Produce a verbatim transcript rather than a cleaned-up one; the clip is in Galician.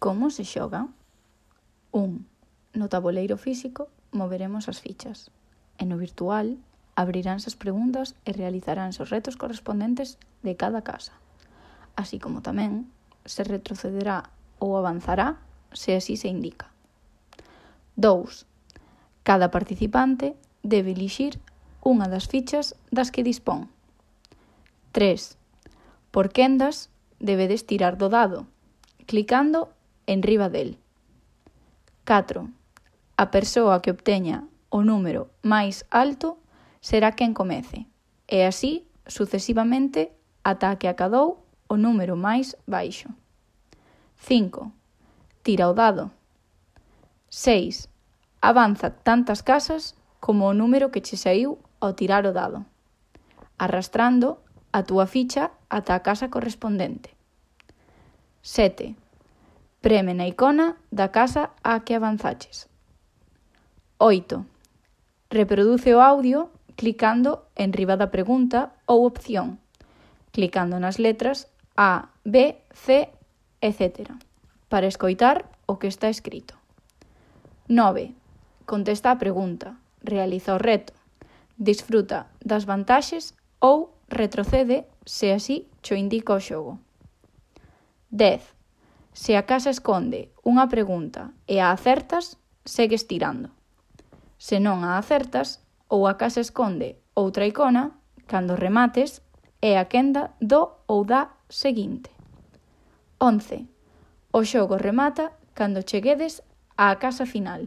Como se xoga? un. No tabuleiro físico moveremos as fichas e no virtual abriránse as preguntas e realizaránse os retos correspondentes de cada casa, así como tamén se retrocederá ou avanzará se así se indica. dous. Cada participante debe elixir unha das fichas das que dispón. tres. Por quendas debedes tirar do dado, clicando enriba del. catro. A persoa que obteña o número máis alto será quen comece, e así sucesivamente ata que acadou o número máis baixo. cinco. Tira o dado. seis. Avanza tantas casas como o número que che saíu ao tirar o dado, arrastrando a túa ficha ata a casa correspondente. sete. Preme na icona da casa á que avanzaches. oito. Reproduce o audio clicando enriba da pregunta ou opción, clicando nas letras A, B, C, etcétera, para escoitar o que está escrito. nove. Contesta a pregunta, realiza o reto, disfruta das vantaxes ou retrocede se así cho indica o xogo. dez. Se a casa esconde unha pregunta e a acertas, segues tirando. Se non a acertas ou a casa esconde outra icona, cando remates, é a quenda do ou da seguinte. once. O xogo remata cando cheguedes á casa final.